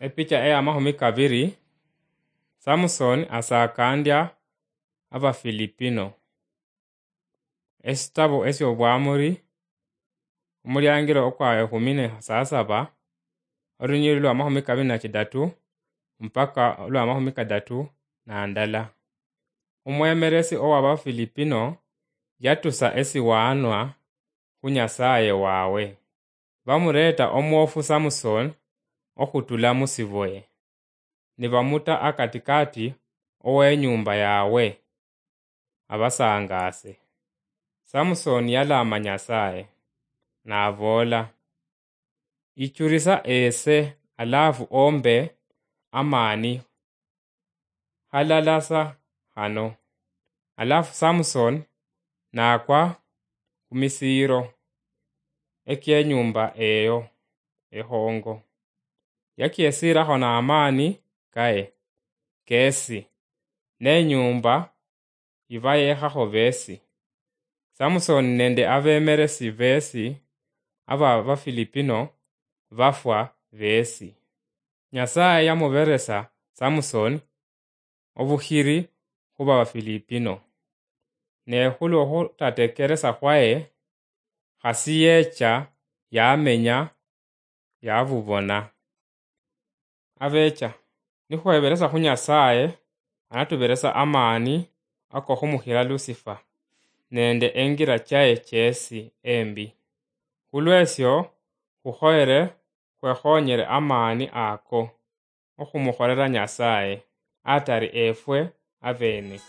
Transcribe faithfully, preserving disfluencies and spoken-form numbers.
Epicha eya mahumi kabiri, Samson asakandya Abafilipino. Esitabo esy'Obwamuri, omulyaangiro okwa ehumi ne sasaba, olunyiriri lwa mahumi kabiri na kidatu mpaka olwa mahumi kadatu na ndala. Omwemeresi ow'Abafilipino yatusa esiwaanwa khu Nyasaye wawe. Bamureeta omwoofu Samson okhutula mu siboye, nibamuta akatikaati ow'enyuumba yawe, abasangaase. Samson yalaama Nyasaye, naboola, "Ichurisa ese, alafu ombe amaani halala sa hano." Alafu Samson nakwa khu misiiro eky'enyuumba eyo ehoongo. Yakyesiirakho n'amaani kaye keesi, n'enyuumba yibayeekhakho beesi. Samson nende abeemeresi beesi aba Bafilipino bafwa beesi. Nyasaye yamuberesa Samson obukhiri khuba Bafilipino. Ne khulwo khutatekeresa khwaye, khasi yecha yamenya yabubona. Abecha, nikhweberesa khu Nyasaye, anatuberesa amaani ako khumukhira Lucifer nende engira chaye chesi embi. Khulwesyo, khukhoyere khwekhonyere amaani ako okhumukholela Nyasaye, atari efwe abeene.